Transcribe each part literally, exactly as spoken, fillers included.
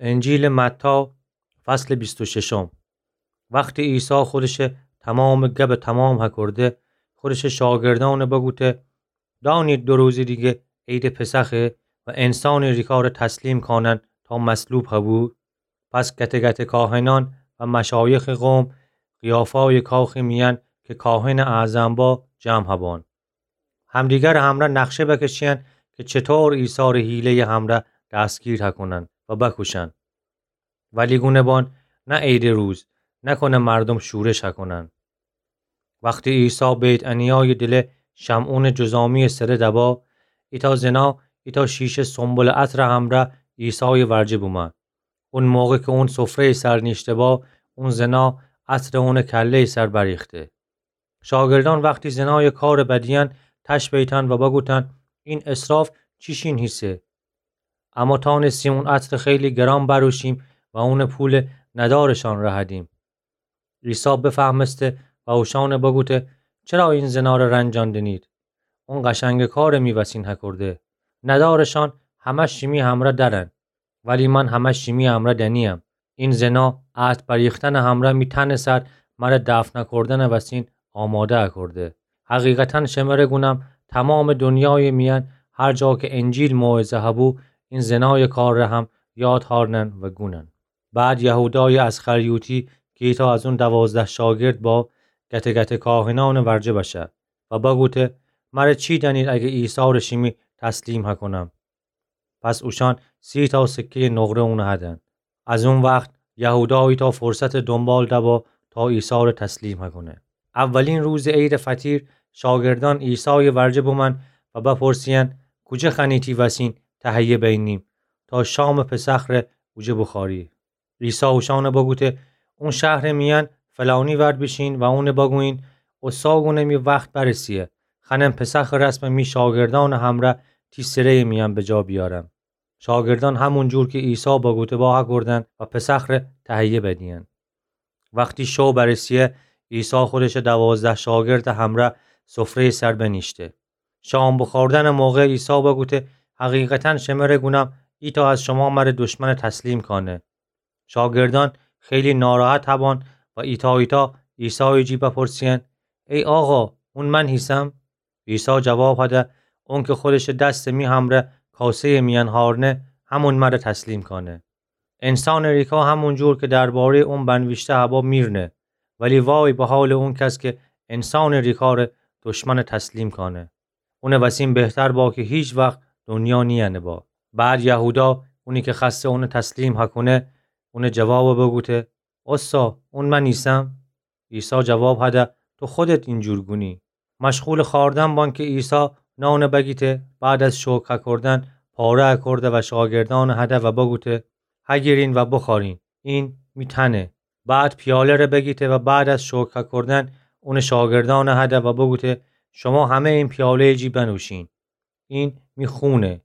انجیلٚ متی، فصلٚ بیست و ششم. وختی عیسی خودشٚ تمامٚ گبٚ تمام هکرده، خودشٚ شاگردأن بگوته: دأنید دو روزٚ دیگه عیدٚ پسخه و انسانٚ ریکار تسلیم کانن تا مصلوب هبو. پس گتٚ گتٚ کاهنأن و مشایخٚ قوم قیافایٚ کاخٚ میأن که کاهنٚ اعظم با، جمع هبان. همدیگرٚ همرأ نقشه بکشیأن که چطور عیسی ره حیله‌یٚ همرأ دستگیر هکونن و بکوشن. ولی گونه بان نه عیدٚ روز، نکنه مردوم شورش هکونن. وختی عیسی بیت‌عنیایٚ دله شمعونٚ جذامی‌یٚ سره دبا، ایتأ زنا ایتأ شیشه سنبلٚ عطرٚ همرأ عیسایٚ ورجه بومأن. اون موقع که اون سفره‌یٚ سر نیشته با، اون زنا عطر اونٚ کله‌یٚ سر بریخته. شاگردأن وختی زنایٚ کارٚ بدیأن تش بیتأن و بگوتأن: این اسراف چیشین هیسه؟ اما تأنستیم اون عطرٚ خیلی گران بروشیم و اونٚ پولٚ ندارشأن رهدیم. عیسی بفهمسته و اوشأن بگوته: چرا این زناره رنجان دنید؟ اون قشنگٚ کار می وسین هکرده. ندارشأن همه شیمی همرأ درن، ولی من همه شیمی همرأ دنیم. این زنا عطر بریختنٚ همرأ می تنٚ سر مره دفن کردنٚ وسین آماده هکرده. حقیقتاً شمره گونم، تمامٚ دنیایٚ میأن هر جا که انجیل موعظه هبو، این زنایٚ کار ره هم یاد هارنن و گونن. بعد یهودایٚ اسخریوطی که ایتأ از اون دوازده شاگرد با، گتٚ گتٚ کاهنأنٚ ورجه بشه و بگوته: مره چی دأنید اگه عیسی ره شیمی تسلیم هکنم؟ پس اوشأن سی تا سکه‌یٚ نقره اون هدن. از اون وخت یهودا ایتأ فرصتٚ دونبال دبا تا عیسی ره تسلیم هکونه. اولین روزٚ عیدٚ فطیر شاگردأن عیسایٚ ورجه بومأن و بپرسیأن: کوجه خوأنی تی وسین تهیه بینیم تا شامٚ پسخ ره اوجه بوخوری؟ عیسی اوشأن بگوته: اون شهرٚ میأن فلانی ور بیشین و اون بگویین: اوسا گونه می وخت برسیه، خوأنم پسخٚ رسم می شاگردأنٚ همرأ تی سره‌یٚ میأن بجا بیارم. شاگردأن همون جور که عیسی بگوته با هکردن و پسخ ره تهیه بدیأن. وختی شو برسیه، عیسی خودشٚ دوازده شاگردٚ همرأ سفره‌یٚ سر بنیشته. شام بوخوردنٚ موقع عیسی بگوته: حقیقتاً شمره گونم، ایتأ از شما مره دشمن تسلیم کانه. شاگردأن خیلی ناراحت هبان و ایتأ ایتأ عیسایٚ جی بپرسیأن: ای آقا، اون من هیسم؟ عیسی جواب هده: اون که خودشٚ دستٚ می همرأ کاسه‌یٚ میأن هارنه، همون مره تسلیم کانه. انسانٚ ریکا همون جور که درباره‌یٚ اون بنویشته هبا میرنه، ولی وای به حالٚ اون کس که انسانٚ ریکا ره دشمن تسلیم کانه. اونٚ وسین بهتر با که هیچ وخت دنیا نیأنه با. بعد یهودا، اونی که خوأسته اون تسلیم هکونه، اون جواب بگوته: اوسا، اون من ایسم؟ عیسی جواب هده: تو خودت اینجور گونی. مشغولٚ خوأردن بان که عیسی نان بگیته، بعد از شکر هکردن پاره هکرده و شاگردأن هده و بگوته: هگیرین و بوخوأرین، این می تنه. بعد پیاله ره بگیته و بعد از شکر هکردن اونٚ شاگردأن هده و بگوته: شما همه این پیاله‌یٚ جی بنوشین. این می خونه،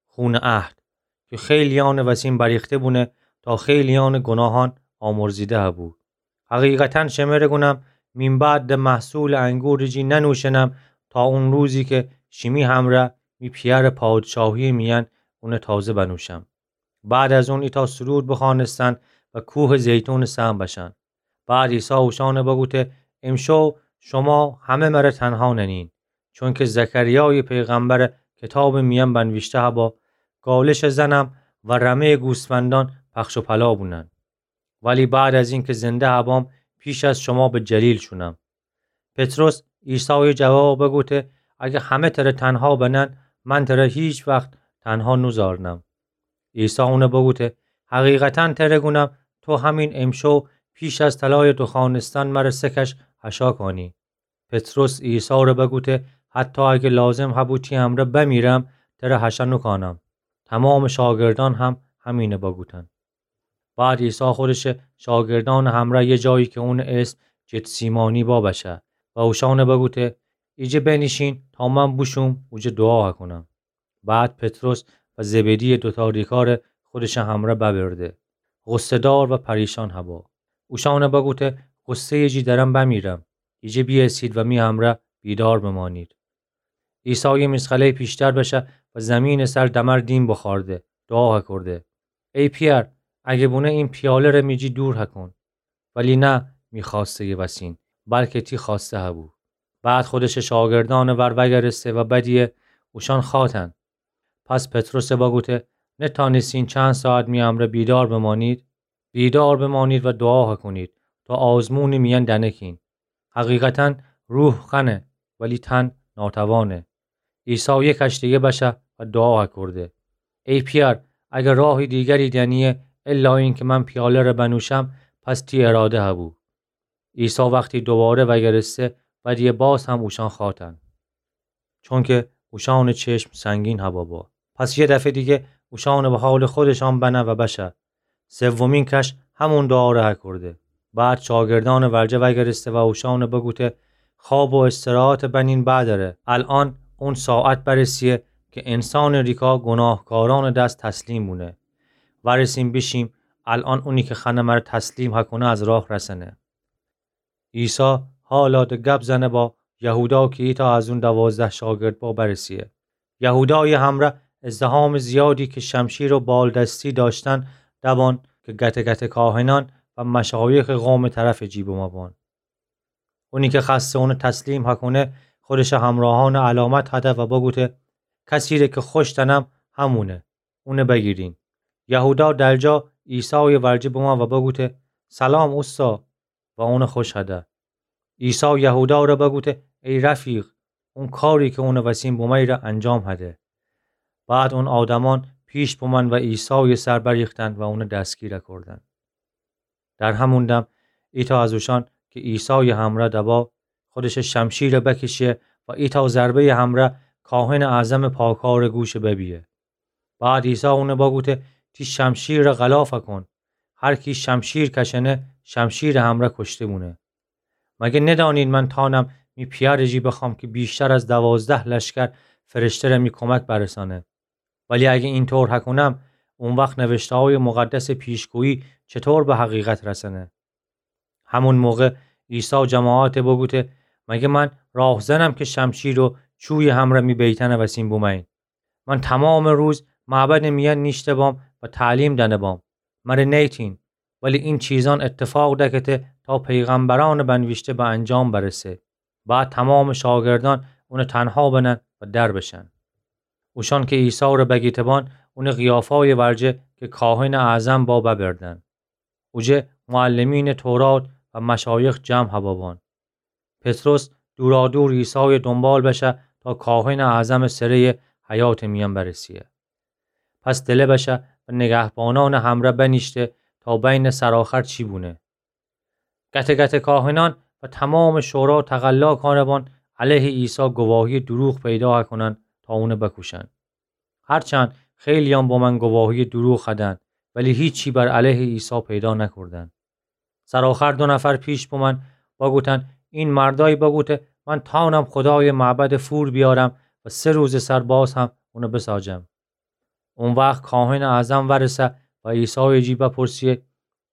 خونٚ عهد، که خیلیأنٚ وسین بریخته بونه تا خیلیأنٚ گوناهأن آمرزیده هبو. حقیقتاً شمره گونم، مین بعد ده محصولٚ انگورٚ جی ننوشنم تا اون روزی که شیمی همرأ می پیأرٚ پادشاهی‌یٚ میأن اون تازه بنوشم. بعد از اون ایتأ سرود بخوأنستن و کوهٚ زیتونٚ سمت بشن. بعد عیسی اوشأن بگوته: امشو شما همه مره تنها ننین، چونکه زکریایٚ پیغمبرٚ کتابٚ میأن بنویشته هبا: گالشٚ زنم و رمه‌یٚ گوسفندأن پخش و پلا بونن. ولی بعد از اینکه زنده هبام، پیش از شما به جلیل شونم. پطرس عیسایٚ جواب بگوته: اگه همه تره تنها بنن، من تره هیچ وخت تنها نوزارنم. عیسی اون بگوته: حقیقتاً تره گونم، تو همین امشو پیش از طلایٚ دوخوأنستن مره سه کش هشا کانی. پطرس عیسی ره بگوته: حتی اگه لازم هبو تی امرأ بمیرم، تره هشا نوکانم. تمامٚ شاگردأن هم همین بگوتن. بعد عیسی خودشٚ شاگردأنٚ همرأ یه جایی که اونٚ اسم گتسیمانی با بشه و اوشأن بگوته: ایجه بنیشین تا من بوشوم اوجه دوعا هکنم. بعد پطرس و زبدی‌یٚ دوتا ریکار خودشٚ همرأ ببرده، غصه‌دار و پریشان هبا. اوشأن بگوته: غصه‌یٚ جی درم بمیرم، ایجه بیأسید و می همرأ بیدار بمانید. عیسی یه میسقله پیشتر بشه و زیمینٚ سر دمر دیم بخوأرده، دوعا هکرده: ای پیأر، اگه بونه این پیاله‌ره می جی دور هکون. ولی نه می خوأسته‌یٚ وسین، بلکه تی خوأسته هبو. بعد خودشٚ شاگردأنٚ ور وأگرسته و بدیه اوشأن خوأتن. پس پطرسٚ بگوته: نتأنستین چند ساعت می امرأ بیدار بمأنید؟ بیدار بمأنید و دوعا هکونید تا آزمونٚ میأن دنکین. حقیقتاً روح خوأنه، ولی تن ناتوانه. عیسی یه کش دیگه بشه و دوعا هکورده: ای پیأر، اگر راهی دیگری دأنیه الا اینکه من پیاله‌ره بنوشم، پس تی اراده هبو. عیسی وختی دوباره وأگرسته، بدیه باز هم اوشأن خوأتن، چونکه اوشأنٚ چشم سنگین هبابا. پس یه دفعه دیگه اوشأنٚ به حالٚ خودشأن بنه و بشه. سومین کش همون دوعاره هکورده. بعد شاگردأنٚ ورجه وأگرسته و اوشأنٚ بگوته: خواب و استراحتٚ بنین بعدٚره. الأن اون ساعت برسیه که انسانٚ ریکا گوناهکارأنٚ دس تسلیم بونه. ورسیم بیشیم، الأن اونی که خوأنه مره تسلیم هکونه از راه رسنه. عیسی حالا ده گب زنه با یهودا که ایتأ از اون دوازده شاگرد با برسیه. یهودایٚ همرأ ازدحامٚ زیادی که شمشیر و بالدستی دأشتن دبان که گته گته کاهنأن و مشایخٚ قومٚ طرفٚ جی بمأبان. اونی که خوأسته اونه تسلیم هکونه، خودشٚ همراهأنٚ علامت هده و بگوته: کسی ره که خوش دأنم، همونه. اونه بگیرین. یهودا درجا عیسایٚ ورجه بمأ و بگوته: سلام اوستا، و اونه خوش هده. عیسی یهودا ره بگوته: ای رفیق، اون کاری که اونٚ وسین بومأیی ره انجام هده. بعد اون آدمأن پیش بمأن و عیسایٚ سر بریختن و اونه دستگیر کوردن. در همون دم ایتأ از اوشأن که عیسایٚ همرأ دبا، خودشٚ شمشیر بکشه و ایتأ ضربه‌یٚ همرأ کاهنٚ اعظمٚ پاکارٚ گوش ببیه. بعد عیسی اونه بگوته: تی شمشیر ره غلاف کون. هر کی شمشیر کشأنه، شمشیرٚ همرأ کشته بونه. مگه ندانید من تأنم می پیأرٚ جی بخوأم که بیشتر از دوازده لشکر فرشته ره می کمک برسأنه؟ ولی اگه اینطور هکونم، اون وخت نوشته‌هایٚ مقدسٚ پیشگویی چطور به حقیقت رسأنه؟ همون موقع عیسی جماعت بگوته: مگه من راهزنم که شمشیر و چویٚ همرأ می بیتأنٚ وسین بومأیین؟ من تومامٚ روز معبدٚ میأن نیشته‌بام و تعلیم دأنه‌بام. مره نیتین. ولی این چیزأن اتفاق دکته تا پیغمبرأنٚ بنویشته به انجام برسه. بعد تومامٚ شاگردأن اونه تنها بنن و در بشن. اوشأن که عیسی ره بگیته‌بان، اونه قیافایٚ ورجه که کاهنٚ اعظم با ببردن. اوجه معلمینٚ تورات و مشایخ جمع هبابان. پطرس دورادور عیسایٚ دونبال بشه تا کاهنٚ اعظمٚ سره‌یٚ حیاطٚ میأن برسیه. پس دله بشه و نگهبانأنٚ همرأ بنیشته تا بینه سرآخر چی بونه. گته گته کاهنأن و تومامٚ شورا تقلا کانه‌بان علیهٚ عیسی گواهیٚ دوروغ پیدا هکونن تا اونه بکوشن. هرچند خیلی‌یأن بومأن گواهیٚ دوروغ هدن، ولی هیچی بر علیهٚ عیسی پیدا نکوردن. سرآخر دو نفر پیش بومأن، بگوتن: این مردأیی بگوته من تأنم خودایٚ معبد فور بیأرم و سه روزٚ سر باز هم اونه بساجم. او وخت کاهنٚ اعظم ورسه و عیسایٚ جی بپرسیه: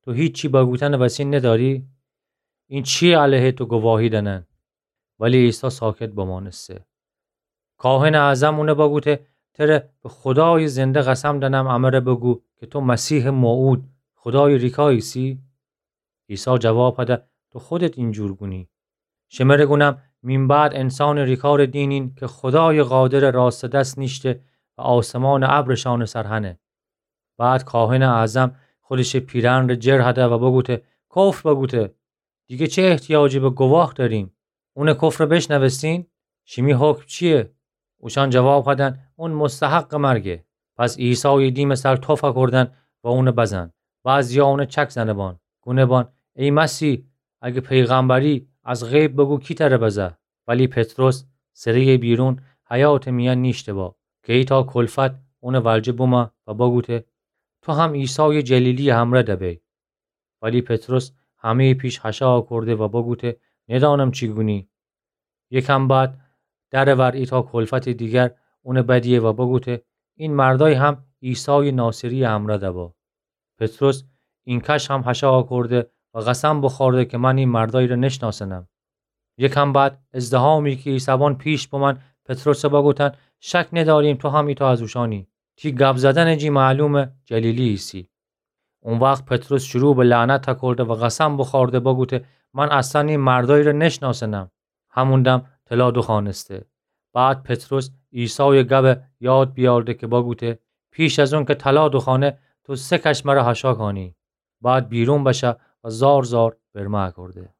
تو هیچی بگوتنٚ وسین ندأری؟ این چییه علیهٚ تو گواهی دأنن؟ ولی عیسی ساکت بمأنسته. کاهنٚ اعظم اونه بگوته: تره به خودایٚ زنده قسم دأنم، امره بگو که تو مسیحٚ موعود، خودایٚ ریکا ایسی؟ عیسی جواب هده: تو خودت اینجور گونی. شمره گونم، مین بعد انسانٚ ریکارٚ دینین که خودایٚ قادرٚ راستٚ دس نیشته و آسمانٚ ابرٚ شأنٚ سر هنه. بعد کاهنٚ اعظم خودشٚ پیرهنٚ ره جر هده و بگوته: کفر بگوته! دیگه چه احتیاجی به گواه دأریم؟ اونٚ کفر بشنوستین؟ شیمی حکم چییه؟ اوشأن جواب هدن: اون مستحقٚ مرگه. پس عیسایٚ دیمٚ سر تف کوردن و اونه بزن. بعضیا اونه چک زنه‌بان، گونه‌بان: ای مسیح، اگه پیغمبری، از غیب بگو کی تره بزه. ولی پطرس سره‌یٚ بیرون حیاطٚ میأن نیشته‌با که ایتأ کلفت اونٚ ورجه بومه و بگوته: تو هم عیسایٚ جلیلیٚ همرأ دبی. ولی پطرس همه‌یٚ پیش هشا کورده و بگوته: ندأنم چی گونی. یکم بعد درٚ ور ایتأ کلفتٚ دیگر اونٚ بدیه و بگوته: این مردأی هم عیسایٚ ناصری‌یٚ همرأ دبا. پطرس اینکش هم هشا کورده و قسم بوخورده که من این مردأیی ره نشناسنم. یکم بعد ازدحامی که ایسه‌بان پیش بومأن، پطرس بگوتن: شک ندأریم تو هم ایتأ از اوشأنی. تی گب زدنٚ جی معلومه جلیلی ایسی. او وخت پطرس شروع به لعنت کرده و قسم بوخورده بگوته: من اصلاً ای مردأیی ره نشناسنم. همون دم طلا دوخوأنسته. بعد پطرس عیسایٚ گبه یاد بیأرده که بگوته: پیش از اونکه طلا دوخوأنه، تو سه کش مره حاشا کانی. بعد بیرون بشه و زار زار برمه کرده.